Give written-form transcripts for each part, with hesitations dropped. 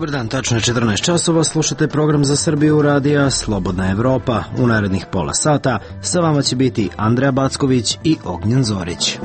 Dobar dan, tačno je 14 časova, slušate program za Srbiju radija Slobodna Evropa. U narednih pola sata sa vama će biti Andreja Backović i Ognjen Zorić.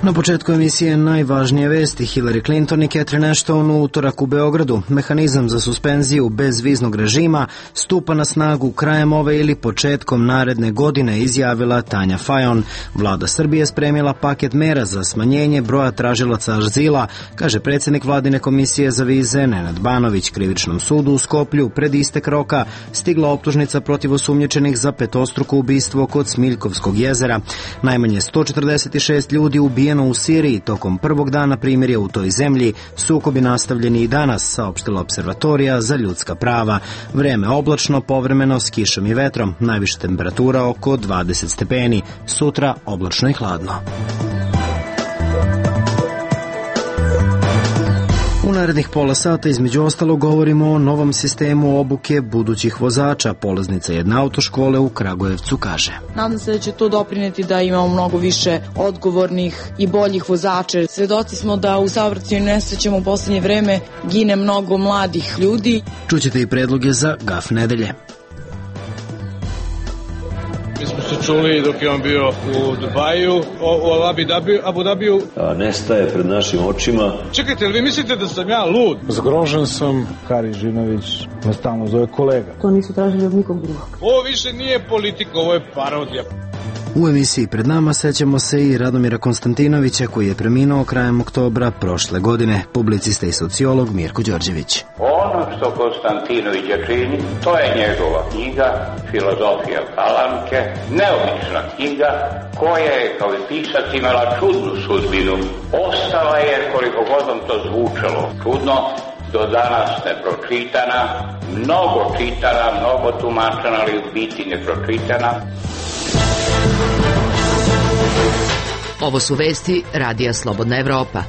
Na početku emisije najvažnije vesti. Hillary Clinton i Catherine Ashton u utorak u Beogradu. Mehanizam za suspenziju bezviznog režima stupa na snagu krajem ove ili početkom naredne godine, izjavila Tanja Fajon. Vlada Srbije spremila paket mera za smanjenje broja tražilaca azila, kaže predsjednik Vladine komisije za vize Nenad Banović. Krivičnom sudu u Skoplju pred istek roka stigla optužnica protiv osumnjičenih za petostruko ubistvo kod Smiljkovskog jezera. Najmanje 146 ljudi ubijeno u Siriji tokom prvog dana primirja u toj zemlji. Sukobi nastavljeni i danas, saopštila Observatorija za ljudska prava. Vreme oblačno, povremeno s kišom i vetrom. Najviša temperatura oko 20 stepeni. Sutra oblačno i hladno. U narednih pola sata između ostalog govorimo o novom sistemu obuke budućih vozača. Polaznica jedne autoškole u Kragujevcu kaže: Nadam se da će to doprineti da imamo mnogo više odgovornih i boljih vozača. Svedoci smo da u saobraćajnim nesrećama u poslednje vreme gine mnogo mladih ljudi. Čućete i predloge za GAF nedelje. Mi smo se čuli dok je on bio u Dubaju, u Abu Dabiju. Nestaje pred našim očima. Čekajte, ali vi mislite da sam ja lud? Zgrožen sam. Hari Žinović me stalno zove kolega. To nisu tražili od nikog drugog. Ovo više nije politika, ovo je parodija. U emisiji pred nama sećamo se i Radomira Konstantinovića, koji je preminuo krajem oktobra prošle godine, publicista i sociolog Mirko Đorđević. Ono što Konstantinovića čini, to je njegova knjiga Filozofija Palanke, neobična knjiga koja je kao i pisac imala čudnu sudbinu. Ostala je, koliko god vam to zvučalo čudno, do danas nepročitana, mnogo čitana, mnogo tumačena, ali u biti nepročitana. Ovo su vesti radija Slobodna Evropa.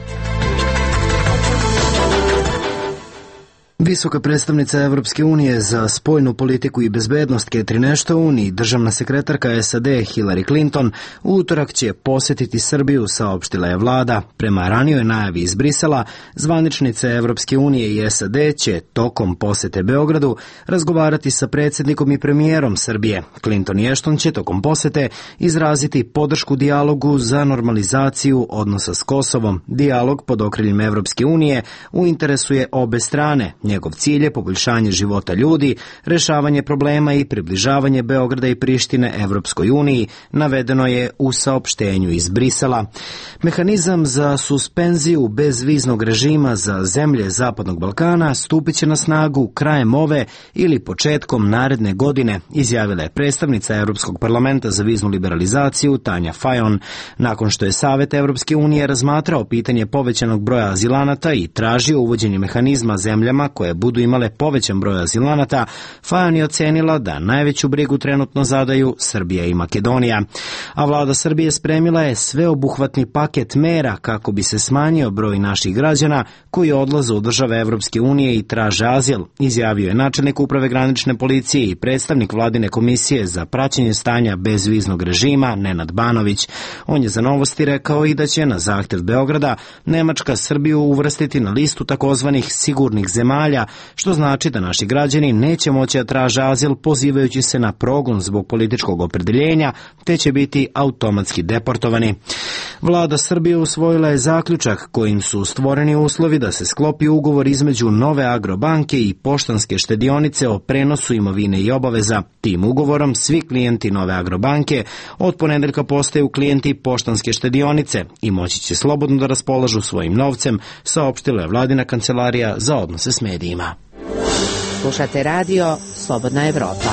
Visoka predstavnica Evropske unije za spoljnu politiku i bezbednost Catherine Ashton i državna sekretarka SAD Hillary Clinton u utorak će posjetiti Srbiju, saopštila je vlada. Prema ranijoj najavi iz Brisela, zvaničnice Evropske unije i SAD će tokom posete Beogradu razgovarati sa predsjednikom i premijerom Srbije. Clinton i Ashton će tokom posete izraziti podršku dijalogu za normalizaciju odnosa s Kosovom. Dijalog pod okriljem Evropske unije u interesu je obe strane. Njegov cilj je poboljšanje života ljudi, rešavanje problema i približavanje Beograda i Prištine Evropskoj uniji, navedeno je u saopštenju iz Brisela. Mehanizam za suspenziju bezviznog režima za zemlje Zapadnog Balkana stupit će na snagu krajem ove ili početkom naredne godine, izjavila je predstavnica Europskog parlamenta za viznu liberalizaciju Tanja Fajon. Nakon što je Savet Evropske unije razmatrao pitanje povećanog broja azilanata i tražio uvođenje mehanizma zemljama koje budu imale povećan broj azilanata, Fajon je ocenila da najveću brigu trenutno zadaju Srbija i Makedonija. A vlada Srbije spremila je sveobuhvatni paket mera kako bi se smanjio broj naših građana koji odlaze u države Evropske unije i traže azil, izjavio je načelnik uprave granične policije i predstavnik vladine komisije za praćenje stanja bezviznog režima Nenad Banović. On je za Novosti rekao i da će na zahtjev Beograda Nemačka Srbiju uvrstiti na listu takozvanih sigurnih zemalja, što znači da naši građani neće moći da traže azil pozivajući se na progon zbog političkog opredeljenja, te će biti automatski deportovani. Vlada Srbije usvojila je zaključak kojim su stvoreni uslovi da se sklopi ugovor između Nove Agrobanke i Poštanske štedionice o prenosu imovine i obaveza. Tim ugovorom svi klijenti Nove Agrobanke od ponedeljka postaju klijenti Poštanske štedionice i moći će slobodno da raspolažu svojim novcem, saopštila je vladina kancelarija za odnose s medijima. Slušate radio Slobodna Evropa.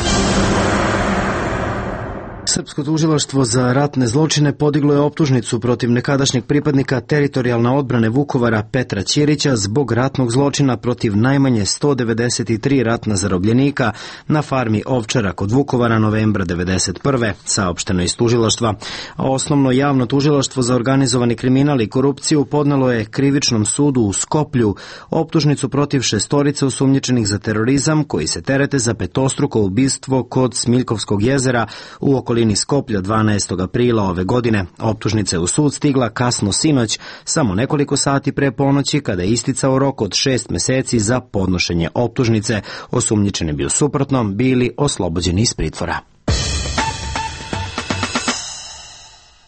Srpsko tužilaštvo za ratne zločine podiglo je optužnicu protiv nekadašnjeg pripadnika teritorijalne odbrane Vukovara Petra Ćirića zbog ratnog zločina protiv najmanje 193 ratna zarobljenika na farmi Ovčara kod Vukovara novembra 1991. saopšteno iz tužilaštva. A osnovno javno tužilaštvo za organizovani kriminal i korupciju podnelo je krivičnom sudu u Skoplju optužnicu protiv 6 osumnjičenih za terorizam koji se terete za petostruko ubistvo kod Smiljkovskog jezera u okolini okolini Skoplja 12. aprila ove godine. Optužnica je u sud stigla kasno sinoć, samo nekoliko sati pre ponoći, kada je isticao rok od 6 meseci za podnošenje optužnice. Osumnjičeni bi u suprotnom bili oslobođeni iz pritvora.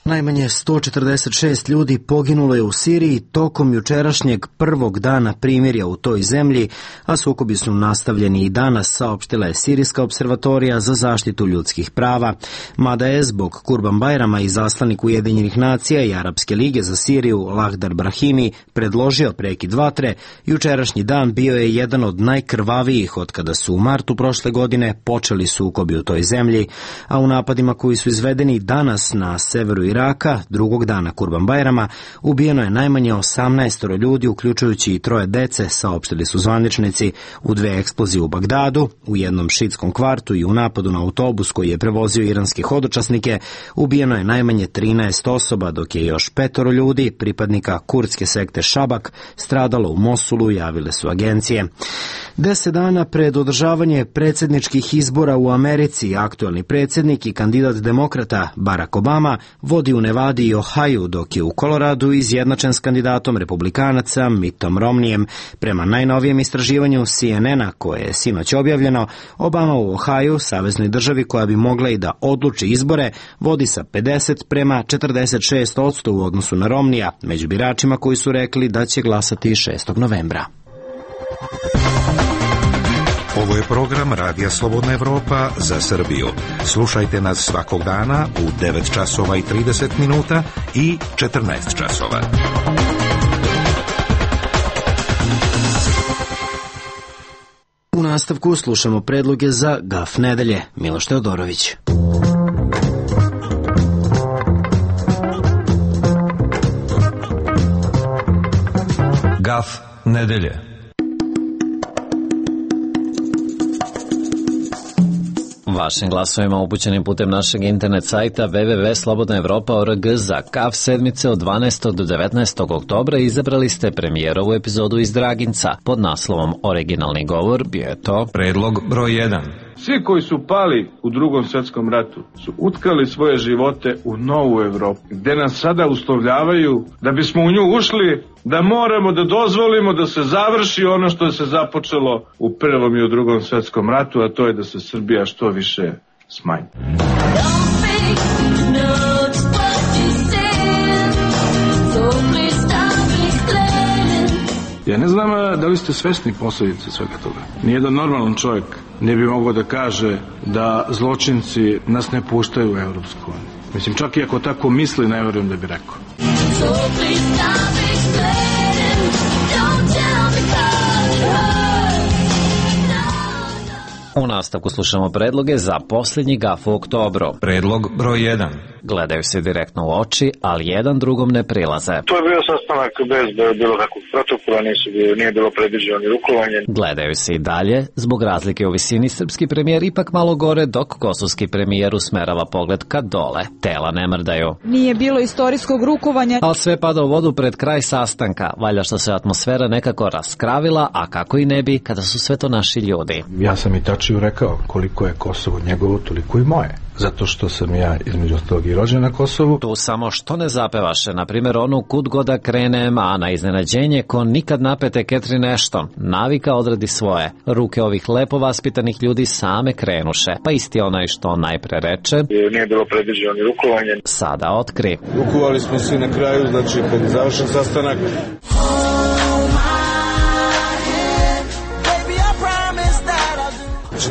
Najmanje 146 ljudi poginulo je u Siriji tokom jučerašnjeg prvog dana primirja u toj zemlji, a sukobi su nastavljeni i danas, saopštila je Sirijska observatorija za zaštitu ljudskih prava. Mada je zbog Kurban Bajrama izaslanik Ujedinjenih nacija i Arapske lige za Siriju Lahdar Brahimi predložio prekid vatre, jučerašnji dan bio je jedan od najkrvavijih od kada su u martu prošle godine počeli sukobi u toj zemlji, a u napadima koji su izvedeni danas na severu Iraka, drugog dana Kurban Bajrama, ubijeno je najmanje 18 ljudi, uključujući i 3 dece, saopštili su zvaničnici. U 2 eksplozije u Bagdadu, u jednom šiitskom kvartu i u napadu na autobus koji je prevozio iranske hodočasnike, ubijeno je najmanje 13 osoba, dok je još 5 ljudi, pripadnika kurdske sekte Šabak, stradalo u Mosulu, javile su agencije. 10 dana pred održavanje predsjedničkih izbora u Americi, aktuelni predsjednik i kandidat demokrata Barack Obama vodi u Nevadi i Ohaju, dok je u Koloradu izjednačen s kandidatom republikanaca Mittom Romneyem. Prema najnovijem istraživanju CNN-a, koje je sinoć objavljeno, Obama u Ohaju, saveznoj državi koja bi mogla i da odluči izbore, vodi sa 50:46% u odnosu na Romneya, među biračima koji su rekli da će glasati 6. novembra. Ovo je program Radija Slobodna Evropa za Srbiju. Slušajte nas svakog dana u 9 časova i 30 minuta i 14 časova. U nastavku slušamo predloge za Gaf nedelje. Miloš Teodorović. Gaf nedelje. Vašim glasovima upućenim putem našeg internet sajta www.slobodnaevropa.org za Gaf sedmice od 12. do 19. oktobra izabrali ste premijerovu epizodu iz Draginca. Pod naslovom Originalni govor bio je to predlog broj 1. Svi koji su pali u Drugom svjetskom ratu su utkali svoje živote u novu Evropu, gde nas sada uslovljavaju da bismo u nju ušli, da moramo da dozvolimo da se završi ono što se započelo u Prvom i u Drugom svjetskom ratu, a to je da se Srbija što više smanji. Ja ne znam da li ste svesni posljedice svega toga. Nijedan normalan čovjek ne bi mogao da kaže da zločinci nas ne puštaju u Evropsku uniju. Mislim, čak i ako tako misli, ne vjerujem da bi rekao. U nastavku slušamo predloge za posljednji Gaf u oktobru. Predlog broj 1. Gledaju se direktno u oči, ali jedan drugom ne prilaze. To je bio sastanak bez bilo kakvog protokola, nije bilo predviđeno ni rukovanje. Gledaju se i dalje, zbog razlike u visini srpski premijer ipak malo gore, dok kosovski premijer usmerava pogled ka dole. Tela ne mrdaju. Nije bilo istorijskog rukovanja. Ali sve pada u vodu pred kraj sastanka, valja što se atmosfera nekako raskravila, a kako i ne bi kada su sve to naši ljudi. Ja sam i Tačiju rekao, koliko je Kosovo njegovo, toliko i moje. Zato što sam ja između ostalog i rođen na Kosovu. Tu samo što ne zapevaše, na primjer onu Kud god da krenem, a na iznenađenje ko nikad napete Ketri nešto. Navika odradi svoje. Ruke ovih lepo vaspitanih ljudi same krenuše, pa isti onaj što najpre reče. Nije bilo predviđeno ni rukovanje. Sada otkri. Rukovali smo se na kraju, znači kad je završen sastanak.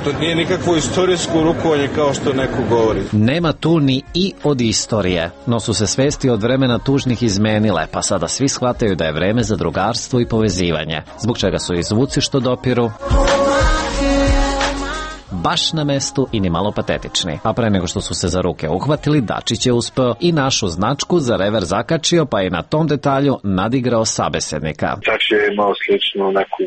To nije nikakvo istorijsko rukovanje kao što neko govori. Nema tu ni i od istorije, no su se svesti od vremena tužnih izmenile, pa sada svi shvataju da je vreme za drugarstvo i povezivanje, zbog čega su i zvuci što dopiru baš na mestu i ni malo patetični. A pre nego što su se za ruke uhvatili, Dačić je uspeo i našu značku za rever zakačio, pa je na tom detalju nadigrao sabesednika. Čak je imao sličnu neku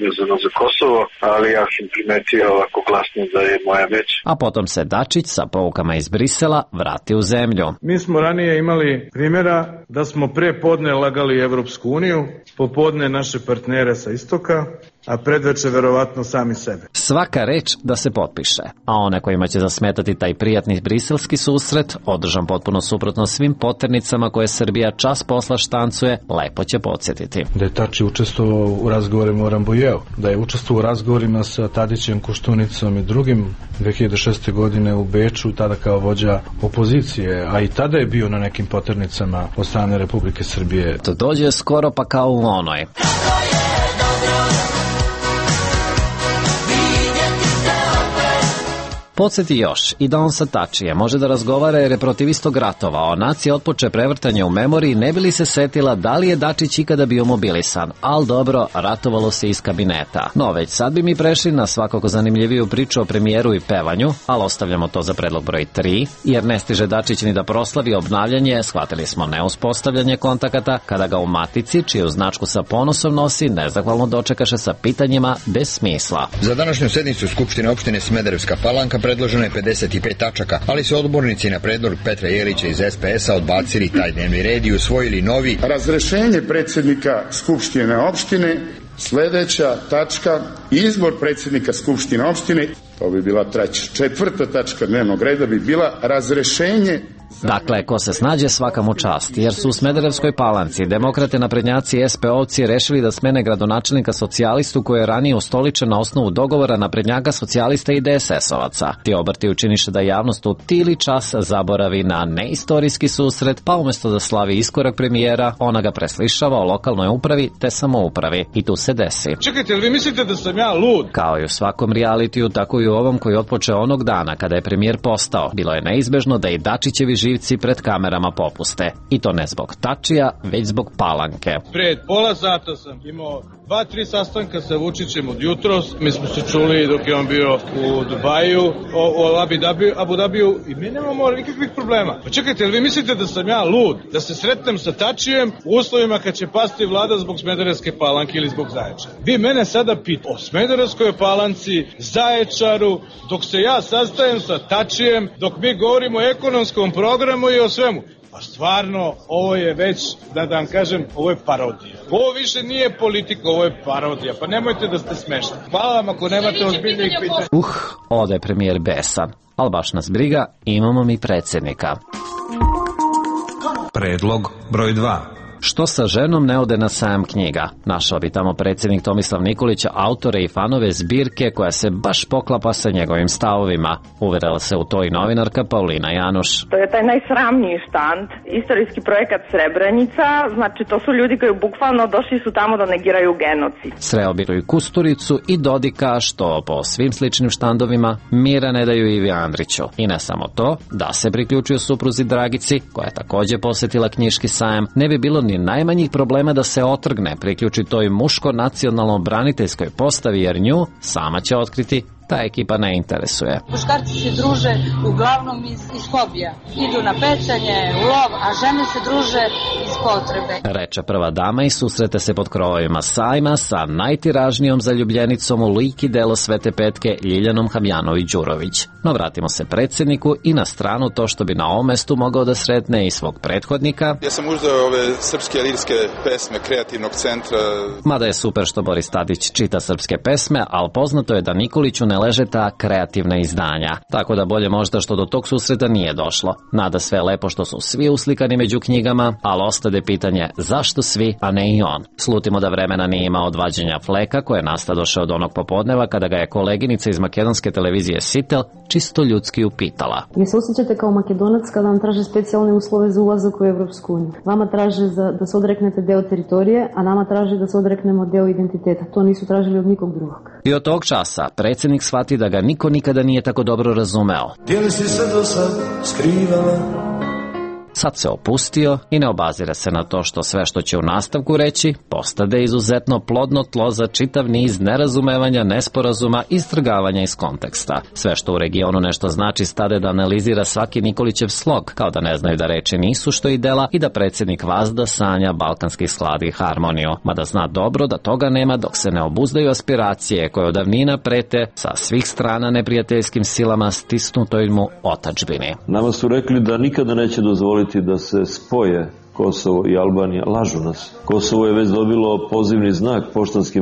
vezano za Kosovo, ali ja sam primetio ovako glasno da je moja već. A potom se Dačić sa poukama iz Brisela vrati u zemlju. Mi smo ranije imali primjera da smo pre podne lagali Evropsku uniju, popodne naše partnere sa istoka, a predveče verovatno sami sebe. Svaka reč da se potpiše, a one kojima će zasmetati taj prijatni briselski susret, održan potpuno suprotno svim poternicama koje Srbija čas posla štancuje, lepo će podsjetiti. Da je Tači učestvovao u razgovorima o Rambujeu, da je učestvovao u razgovorima sa Tadićem, Koštunicom i drugim 2006. godine u Beču, tada kao vođa opozicije, a i tada je bio na nekim poternicama od strane Republike Srbije. To dođe skoro pa kao u onoj. Podsjeti još i da on sa Tačijem može da razgovara jer je protiv istog ratovao. Nacija otpoče prevrtanje u memoriji, ne bi li se setila da li je Dačić ikada bio mobilisan. Al dobro, ratovalo se iz kabineta. No, već sad bi mi prešli na svakako zanimljiviju priču o premijeru i pevanju, ali ostavljamo to za predlog broj 3, jer ne stiže Dačić ni da proslavi obnavljanje, shvatili smo neuspostavljanje kontakata, kada ga u Matici, čiju značku sa ponosom nosi, nezahvalno dočekaše sa pitanjima bez smisla. Za današnju sednicu Skupštine opštine Smederevska Palanka predloženo je 55 tačaka, ali su odbornici na predlog Petra Jelića iz SPS-a odbacili taj dnevni red i usvojili novi. Razrešenje predsjednika Skupštine opštine, sledeća tačka, izbor predsjednika Skupštine opštine, to bi bila četvrta tačka dnevnog reda bi bila razrešenje. Dakle, ko se snađe svaka mu čast, jer su u Smederevskoj Palanci demokrate, naprednjaci i SP-ovci rešili da smene gradonačelnika socijalistu koji je ranije ustoličen na osnovu dogovora naprednjaka, socijalista i DSS-ovaca. Ti obrti učiniše da javnost u tili čas zaboravi na neistorijski susret, pa umjesto da slavi iskorak premijera, ona ga preslišava o lokalnoj upravi te samoupravi. I tu se desi. Čekajte, vi mislite da sam ja lud? Kao i u svakom realitiju, tako i u ovom koji otpoče onog dana kada je premijer postao. Bilo je neizbežno da i Dačićevi živci pred kamerama popuste. I to ne zbog Tačija, već zbog Palanke. Pred pola sata sam imao 2-3 sastanka sa Vučićem od jutros. Mi smo se čuli dok je on bio u Dubaju, o Abu Dabiju i mi nemamo nikakvih problema. Pa čekajte, vi mislite da sam ja lud? Da se sretnem sa Tačijem u uslovima kad će pasti vlada zbog Smederevske Palanke ili zbog Zaječara? Vi mene sada pitate o Smederevskoj Palanci, Zaječaru, dok se ja sastajem sa Tačijem, dok mi govorimo o ekonomskom programu i o svemu. Pa stvarno, ovo je već, da vam kažem, ovo je parodija. Ovo više nije politika, ovo je parodija. Pa nemojte da ste smešni. Hvala vam ako nemate ozbiljnih pitanja. Ode premijer besan. Ali baš nas briga, imamo mi predsjednika. Predlog broj 2. Što sa ženom ne ode na sajam knjiga? Našao bi tamo predsjednik Tomislav Nikolić autore i fanove zbirke koja se baš poklapa sa njegovim stavovima. Uverila se u to i novinarka Paulina Januš. To je taj najsramniji štand, istorijski projekat Srebrenica, znači to su ljudi koji bukvalno došli su tamo da negiraju genocid. Sreo bi i Kusturicu i Dodika, što po svim sličnim štandovima mira ne daju Ivi Andriću. I ne samo to, da se priključio supruzi Dragici, koja je također posjetila knjiški sajam, ne bi bilo ni najmanjih problema da se otrgne, priključi toj muško-nacionalno-braniteljskoj postavi, jer nju sama će otkriti ta ekipa ne interesuje. Muškarci se druže uglavnom iz hobija. Idu na pecanje, u lov, a žene se druže iz potrebe. Reče prva dama i susrete se pod krovovima sajma sa najtiražnijom zaljubljenicom u lik i delo Svete Petke Ljiljanom Habjanović-Đurović. No vratimo se predsjedniku i na stranu to što bi na ovom mestu mogao da sretne i svog prethodnika. Ja sam uzeo ove srpske lirske pesme Kreativnog centra. Mada je super što Boris Tadić čita srpske pesme, ali poznato je da Nikoliću ne leže ta kreativna izdanja. Tako da bolje možda što do tog susreta nije došlo. Nada sve lepo što su svi uslikani među knjigama, ali ostade pitanje zašto svi, a ne i on. Slutimo da vremena nije imao od vađenja fleka koje nastadoše od onog popodneva kada ga je koleginica iz makedonske televizije Sitel čisto ljudski upitala. Vi se osjećate kao Makedonac kada vam traže specijalne uslove za ulazak u Evropsku uniju. Vama traže da se odreknete deo teritorije, a nama traže da se odreknemo deo identiteta. To nisu tražili od nikog drugog. I od tog časa predsjednik shvati da ga niko nikada nije tako dobro razumeo. Gdje li si se do sad skrivala? sad se opustio i ne obazira se na to što sve što će u nastavku reći postade izuzetno plodno tlo za čitav niz nerazumevanja, nesporazuma i istrgavanja iz konteksta. Sve što u regionu nešto znači stade da analizira svaki Nikolićev slog, kao da ne znaju da reči nisu što i dela i da predsjednik vazda sanja balkanski sklad i harmoniju, mada zna dobro da toga nema dok se ne obuzdaju aspiracije koje od davnina prete sa svih strana neprijateljskim silama stisnutoj mu otadžbini. Nama su rekli da nikada neće dozvoliti da se spoje Kosovo i Albanija. Lažu nas. Kosovo je već dobilo pozivni znak poštanski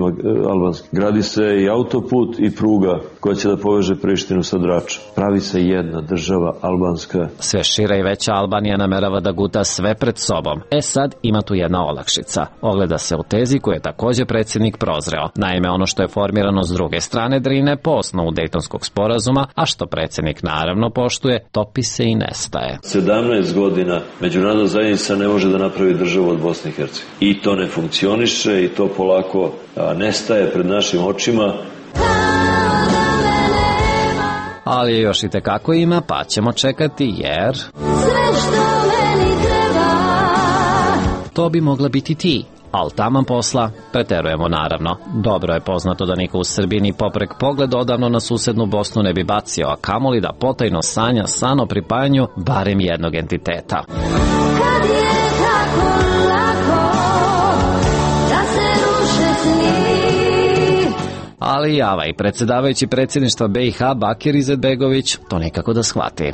albanski. Gradi se i autoput i pruga koja će da poveže Prištinu sa Dračom. Pravi se jedna država albanska. Sve šira i veća Albanija namerava da guta sve pred sobom. Sad ima tu jedna olakšica. Ogleda se u tezi koju je također predsjednik prozreo. Naime, ono što je formirano s druge strane Drine po osnovu Dejtonskog sporazuma, a što predsjednik naravno poštuje, topi se i nestaje. 17 godina međunarodna zajednica ne može da napravi državu od Bosne i Hercegovine. I to ne funkcioniše i to polako nestaje pred našim očima. Ali još i tekako ima, pa ćemo čekati jer... Sve što meni treba. To bi mogla biti ti. Al taman posla, preterujemo naravno. Dobro je poznato da niko u Srbiji ni poprek pogled odavno na susednu Bosnu ne bi bacio, a kamoli da potajno sanja san o pripajanju barem jednog entiteta. Kad je tako lako da se ruše sni. Ali java i predsjedavajući predsjedništva BiH Bakir Izetbegović to nikako da shvati.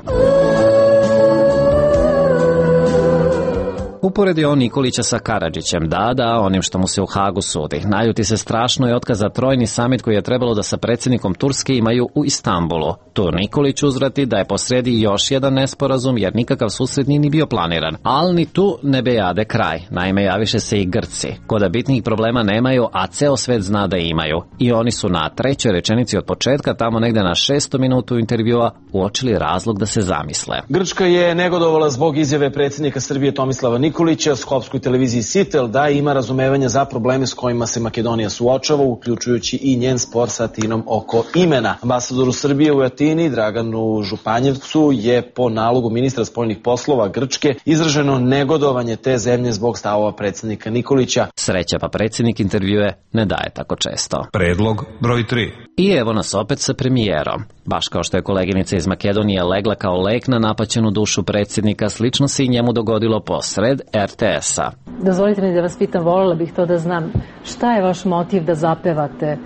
Uporedi on Nikolića sa Karadžićem, da, onim što mu se u Hagu sudi. Naljuti se strašno i otkaza trojni samit koji je trebalo da sa predsjednikom Turske imaju u Istanbulu. Tu Nikolić uzvrati da je posredi još jedan nesporazum jer nikakav susret nije ni bio planiran. Ali ni tu ne bejade kraj. Naime, javiše se i Grci. Koda bitnih problema nemaju, a ceo svet zna da imaju. I oni su na trećoj rečenici od početka, tamo negde na 600 minutu intervjua, uočili razlog da se zamisle. Grčka je negodovala zbog izjave predsjednika Srbije Tomislava Nikolića skopskoj televiziji Sitel da ima razumevanja za probleme s kojima se Makedonija suočava, uključujući i njen spor sa Atinom oko imena. Ambasadoru Srbije u Atini, Draganu Županjevcu, je po nalogu ministra spoljnih poslova Grčke izraženo negodovanje te zemlje zbog stavova predsjednika Nikolića. Sreća pa predsjednik intervjue ne daje tako često. Predlog broj 3. I evo nas opet sa premijerom. Baš kao što je koleginica iz Makedonije legla kao lek na napaćenu dušu predsjednika, slično se i njemu dogodilo posred RTS-a. Dozvolite mi da vas pitam, voljela bih to da znam, šta je vaš motiv da zapevate,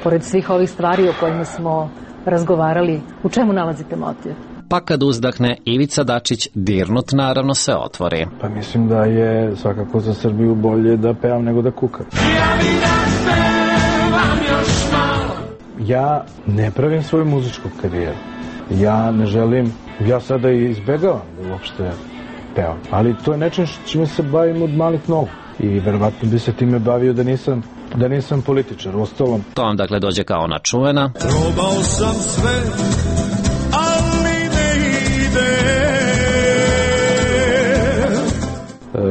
pored svih ovih stvari o kojima smo razgovarali, u čemu nalazite motiv? Pa kad uzdahne, Ivica Dačić, dirnut naravno, se otvori. Pa mislim da je svakako za Srbiju bolje da pevam nego da kukam. Ja ne pravim svoju muzičku karijeru. Ja ne želim, ja sada i izbegavam da uopšte pevam. Ali to je nečem čime se bavim od malih nogu. I verovatno bi se time bavio da nisam političar. Ostalom. To vam dakle dođe kao ona čuvena. Probao sam sve, ali ne ide.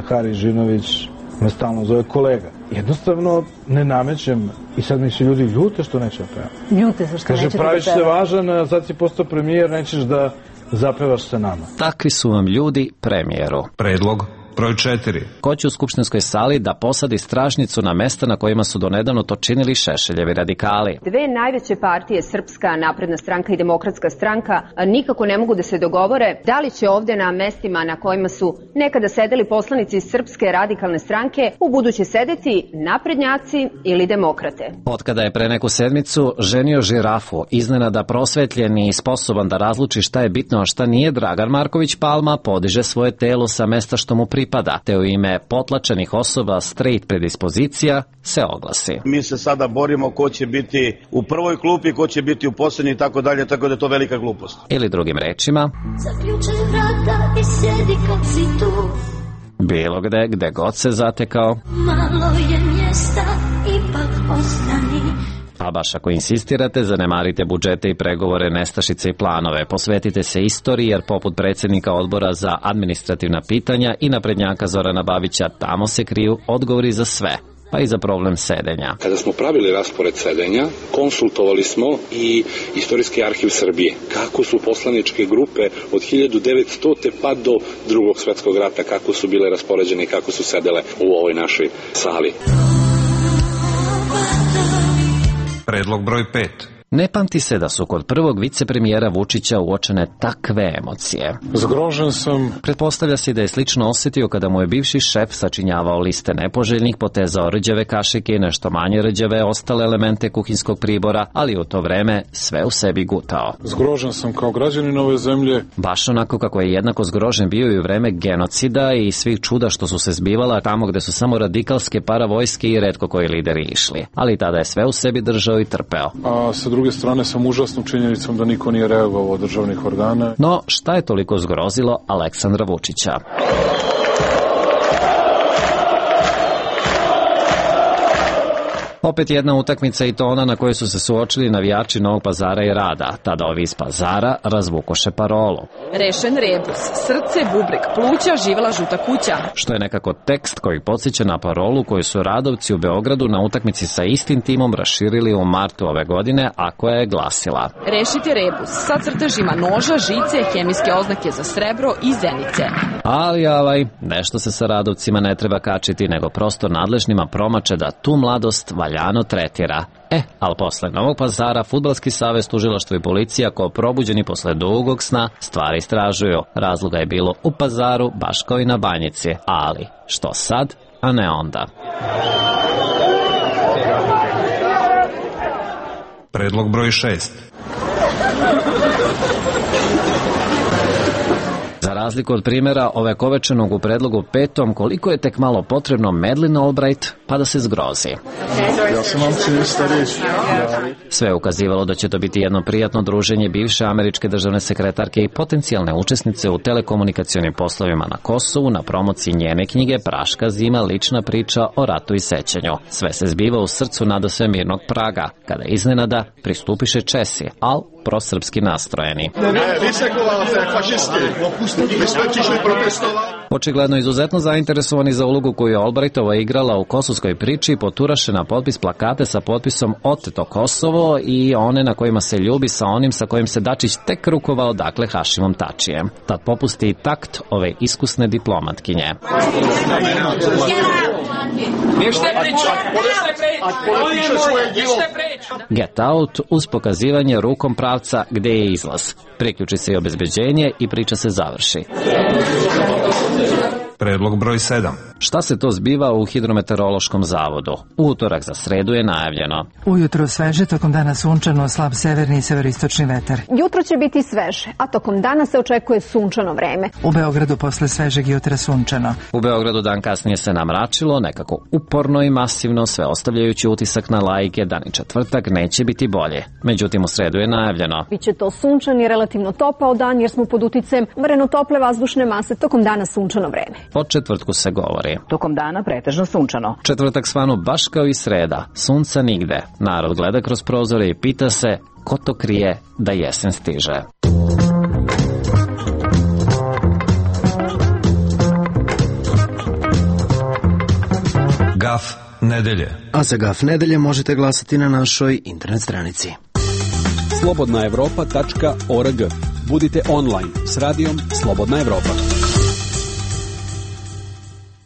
Hari Žinović me stalno zove kolega. Jednostavno ne namećem i sad mi se ljudi ljute što neće da pevam. Ljute se što neće da pevam. Kaže, praviš se važan, sad si postao premijer, nećeš da zapevaš sa nama. Takvi su vam ljudi premijeru. Predlog broj 4. Ko će u skupštinskoj sali da posadi stražnicu na mesta na kojima su donedavno to činili Šešeljevi radikali? Dve najveće partije, Srpska napredna stranka i Demokratska stranka, nikako ne mogu da se dogovore da li će ovde na mestima na kojima su nekada sedeli poslanici iz Srpske radikalne stranke u buduće sedeti naprednjaci ili demokrate. Otkada je pre neku sedmicu ženio žirafu, iznenada prosvetljen i sposoban da razluči šta je bitno, a šta nije, Dragan Marković Palma podiže svoje telo sa mesta što mu pripada, te u ime potlačenih osoba straight predispozicija se oglasi. Mi se sada borimo ko će biti u prvoj klupi, ko će biti u poslednji i tako dalje, tako da je to velika glupost. Ili drugim rečima, zaključaj vrata i sjedi kad si tu. Bilo gde god se zatekao, Malo je mjesta, ipak ostani. A baš ako insistirate, zanemarite budžete i pregovore, nestašice i planove. Posvetite se istoriji, jer poput predsjednika odbora za administrativna pitanja i naprednjaka Zorana Babića, tamo se kriju odgovori za sve. pa i za problem sedenja. Kada smo pravili raspored sedenja, konsultovali smo i Istorijski arhiv Srbije. Kako su poslaničke grupe od 1900. pa do Drugog svetskog rata, kako su bile raspoređene i kako su sedele u ovoj našoj sali. Predlog broj 5. Ne pamti se da su kod prvog vicepremijera Vučića uočene takve emocije. Zgrožen sam. Pretpostavlja se da je slično osjetio kada mu je bivši šef sačinjavao liste nepoželjnih, potezao rđave kašike i nešto manje rđave ostale elemente kuhinskog pribora, ali u to vreme sve u sebi gutao. Zgrožen sam kao građanin ove zemlje. Baš onako kako je jednako zgrožen bio i u vreme genocida i svih čuda što su se zbivala tamo gde su samo radikalske paravojske i retko koji lideri išli. Ali tada je sve u sebi držao i trpeo. A sa druge strane sam užasnom činjenicom da niko nije reagovao od državnih organa. No, šta je toliko zgrozilo Aleksandra Vučića? Opet jedna utakmica i to ona na kojoj su se suočili navijači Novog Pazara i Rada. Tada ovi iz Pazara razvukoše parolu. Rešen rebus, srce, bubreg, pluća, živela žuta kuća. Što je nekako tekst koji podsjeća na parolu koju su Radovci u Beogradu na utakmici sa istim timom raširili u martu ove godine, a koja je glasila: Rešite rebus sa crtežima noža, žice, hemijske oznake za srebro i zenice. Ali nešto se sa Radovcima ne treba kačiti, nego prosto nadležnima promače da tu mladost valjano tretira. Ali posle Novog Pazara, Fudbalski savez, tužilaštvo i policija, kao probuđeni posle dugog sna, stvari istražuju. Razloga je bilo u Pazaru, baš kao i na Banjici. Ali, što sad, a ne onda? Predlog broj 6. Za razliku od primjera ovekovečenog u predlogu 5. koliko je tek malo potrebno Madeleine Albright pa da se zgrozi. Ja sam vam Sve je ukazivalo da će to biti jedno prijatno druženje bivše američke državne sekretarke i potencijalne učesnice u telekomunikacionim poslovima na Kosovu na promociji njene knjige Praška zima, lična priča o ratu i sećanju. Sve se zbiva u srcu nadasve mirnog Praga, kada iznenada pristupiše Česi, al prosrpski nastrojeni. Očigledno izuzetno zainteresovani za ulogu koju je Albrightova igrala u kosovskoj priči, poturaše na potpis plakate sa potpisom Oteto Kosovo i one na kojima se ljubi sa onim sa kojim se Dačić tek rukovao, dakle Hašimom Tačijem. Tad popusti i takt ove iskusne diplomatkinje. Get out uz pokazivanje rukom pravca gde je izlaz. Priključi se i obezbeđenje i priča se završi. Predlog broj 7. Šta se to zbiva u Hidrometeorološkom zavodu? U utorak za sredu je najavljeno. Ujutro sveže, tokom dana sunčano, slab severni i severistočni vetar. Jutro će biti sveže, a tokom dana se očekuje sunčano vreme. U Beogradu posle svežeg jutra sunčano. U Beogradu dan kasnije se namračilo, nekako uporno i masivno, sve ostavljajući utisak na laike da ni četvrtak neće biti bolje. Međutim, u sredu je najavljeno. Biće to sunčan i relativno topao dan jer smo pod uticajem mreno tople vazdušne mase, tokom dana sunčano vreme. O četvrtku se govori. Tokom dana pretežno sunčano. Četvrtak svanu baš kao i sreda. Sunca nigde. Narod gleda kroz prozore i pita se ko to krije da jesen stiže. Gaf nedelje. A za Gaf nedelje možete glasati na našoj internet stranici. slobodnaevropa.org. Budite online s radijom Slobodna Evropa.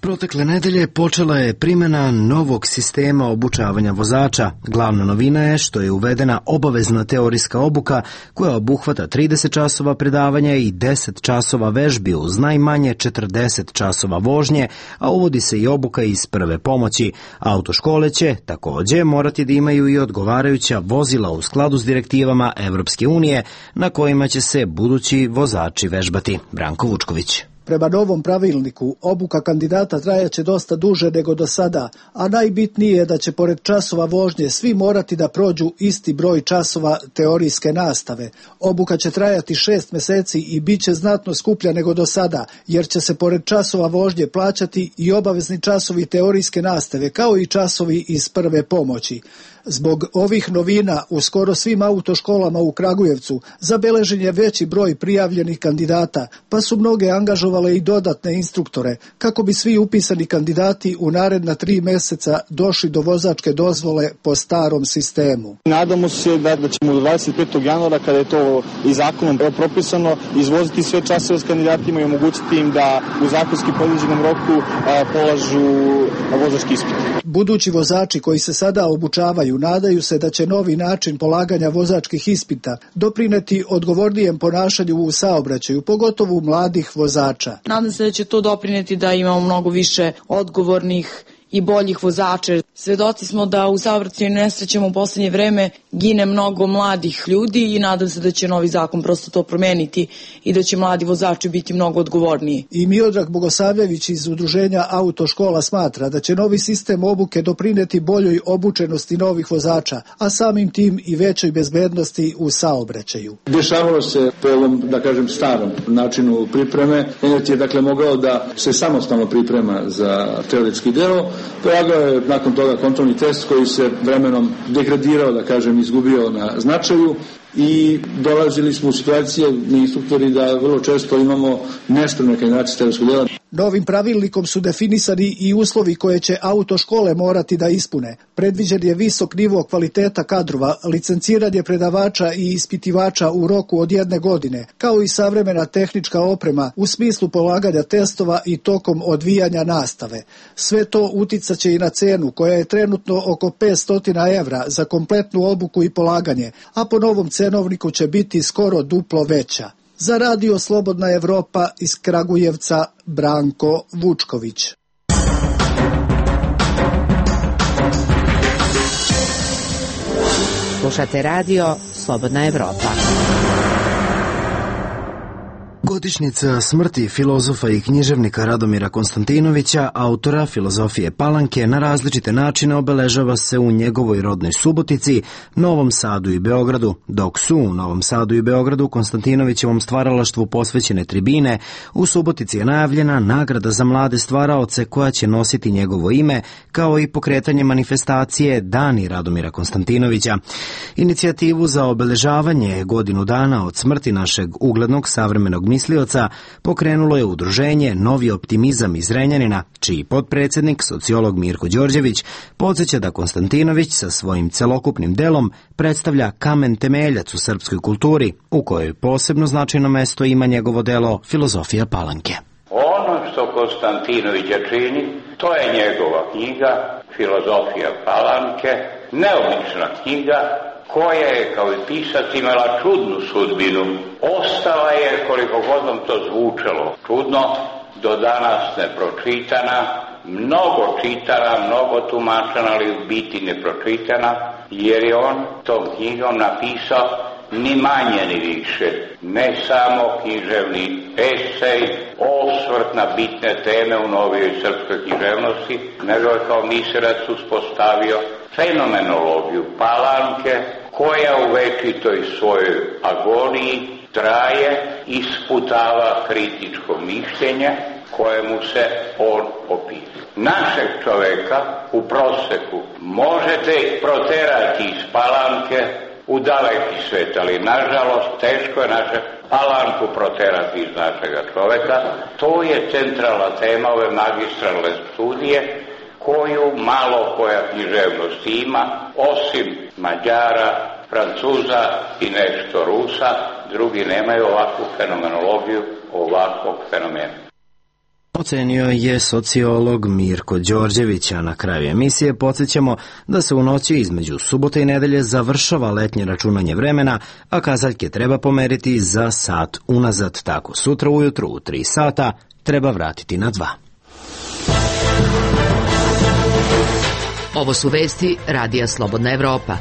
Protekle nedelje počela je primjena novog sistema obučavanja vozača. Glavna novina je što je uvedena obavezna teorijska obuka koja obuhvata 30 časova predavanja i 10 časova vežbi uz najmanje 40 časova vožnje, a uvodi se i obuka iz prve pomoći. Autoškole će također morati da imaju i odgovarajuća vozila u skladu s direktivama Evropske unije na kojima će se budući vozači vežbati. Branko Vučković. Prema novom pravilniku, obuka kandidata trajaće dosta duže nego do sada, a najbitnije je da će pored časova vožnje svi morati da prođu isti broj časova teorijske nastave. Obuka će trajati 6 meseci i bit će znatno skuplja nego do sada, jer će se pored časova vožnje plaćati i obavezni časovi teorijske nastave, kao i časovi iz prve pomoći. Zbog ovih novina u skoro svim autoškolama u Kragujevcu zabeležen je veći broj prijavljenih kandidata, pa su mnoge angažovale i dodatne instruktore kako bi svi upisani kandidati u naredna 3 meseca došli do vozačke dozvole po starom sistemu. Nadamo se da ćemo do 25. januara, kada je to i zakonom propisano, izvoziti sve časove s kandidatima i omogućiti im da u zakonski predviđenom roku polažu vozački ispit. Budući vozači koji se sada obučavaju nadaju se da će novi način polaganja vozačkih ispita doprineti odgovornijem ponašanju u saobraćaju, pogotovo mladih vozača. Nadam se da će to doprineti da imamo mnogo više odgovornih i boljih vozača. Svedoci smo da u saobraćajnim nesrećama u poslednje vreme gine mnogo mladih ljudi i nadam se da će novi zakon prosto to promeniti i da će mladi vozači biti mnogo odgovorniji. I Miodrag Bogosavljević iz Udruženja Autoškola smatra da će novi sistem obuke doprineti boljoj obučenosti novih vozača, a samim tim i većoj bezbednosti u saobraćaju. Dešavalo se po ovom, da kažem, starom načinu pripreme. Enet je dakle mogao da se samostalno priprema za teoretski deo. Polagao je nakon toga kontrolni test koji se vremenom degradirao, da kažem, izgubio na značaju i dolazili smo u situacije, mi instruktori, da vrlo često imamo nespremne kandidate teoretskog dela. Novim pravilnikom su definisani i uslovi koje će autoškole morati da ispune. Predviđen je visok nivo kvaliteta kadrova, licenciranje predavača i ispitivača u roku od 1 godine, kao i savremena tehnička oprema u smislu polaganja testova i tokom odvijanja nastave. Sve to uticaće i na cenu, koja je trenutno oko 500 evra za kompletnu obuku i polaganje, a po novom cenovniku će biti skoro duplo veća. Za Radio Slobodna Evropa iz Kragujevca, Branko Vučković. Slušate Radio Slobodna Evropa. Godišnjica smrti filozofa i književnika Radomira Konstantinovića, autora filozofije Palanke, na različite načine obeležava se u njegovoj rodnoj Subotici, Novom Sadu i Beogradu, dok su u Novom Sadu i Beogradu Konstantinovićevom stvaralaštvu posvećene tribine, u Subotici je najavljena nagrada za mlade stvaraoce koja će nositi njegovo ime, kao i pokretanje manifestacije Dani Radomira Konstantinovića. Inicijativu za obeležavanje godinu dana od smrti našeg uglednog savremenog mislioca pokrenulo je udruženje Novi optimizam iz Zrenjanina, čiji potpredsjednik, sociolog Mirko Đorđević, podsjeća da Konstantinović sa svojim celokupnim delom predstavlja kamen temeljac u srpskoj kulturi, u kojoj posebno značajno mesto ima njegovo delo Filozofija Palanke. Ono što Konstantinovića čini, to je njegova knjiga Filozofija Palanke, neobična knjiga, koja je kao i pisac imala čudnu sudbinu. Ostala je, koliko god vam to zvučalo čudno, do danas nepročitana, mnogo čitana, mnogo tumačena, ali u biti nepročitana, jer je on tom knjigom napisao ni manje ni više, ne samo književni esej, osvrt na bitne teme u novijoj srpskoj književnosti, nego je kao miserac uspostavio fenomenologiju Palanke, koja u večitoj svojoj agoniji traje, isputava kritičko mišljenje kojemu se on opisuje. Našeg čoveka u proseku možete proterati iz Palanke u daleki svet, ali nažalost teško je naše Palanku proterati iz našega čoveka. To je centralna tema ove magistralne studije, koju malo koja književnost ima, osim Mađara, Francuza i nešto Rusa, drugi nemaju ovakvu fenomenologiju, ovakvog fenomena. Ocenio je sociolog Mirko Đorđević, a na kraju emisije podsjećamo da se u noći između subote i nedelje završava letnje računanje vremena, a kazaljke treba pomeriti za sat unazad, tako sutra ujutru u 3 sata treba vratiti na 2. Ovo su vesti Radija Slobodna Evropa.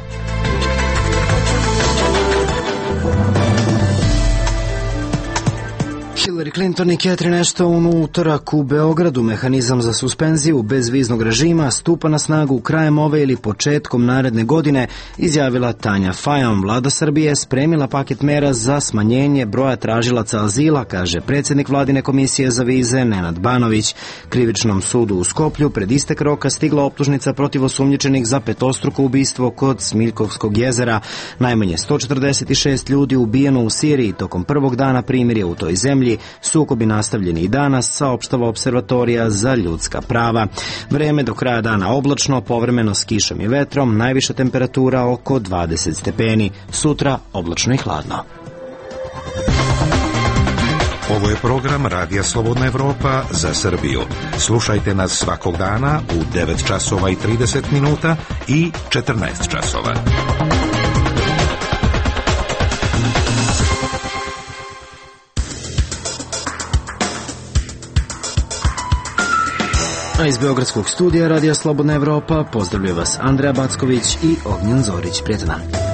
Hillary Clinton i Catherine Ashton u utorak u Beogradu. Mehanizam za suspenziju bezviznog režima stupa na snagu krajem ove ili početkom naredne godine, izjavila Tanja Fajon. Vlada Srbije spremila paket mera za smanjenje broja tražilaca azila, kaže predsjednik vladine komisije za vize Nenad Banović. Krivičnom sudu u Skoplju pred istek roka stigla optužnica protiv osumnjičenih za petostruko ubistvo kod Smiljkovskog jezera. Najmanje 146 ljudi ubijeno u Siriji tokom prvog dana primirja u toj zemlji. Sukobi nastavljeni i danas, saopštava Observatorija za ljudska prava. Vreme do kraja dana oblačno, povremeno s kišom i vetrom, najviša temperatura oko 20 stepeni. Sutra oblačno i hladno. Ovo je program Radija Slobodna Evropa za Srbiju. Slušajte nas svakog dana u 9 časova i 30 minuta i 14 časova. A iz Beogradskog studija Radija Slobodna Evropa pozdravljaju vas Andreja Backović i Ognjen Zorić. Prijatan dan.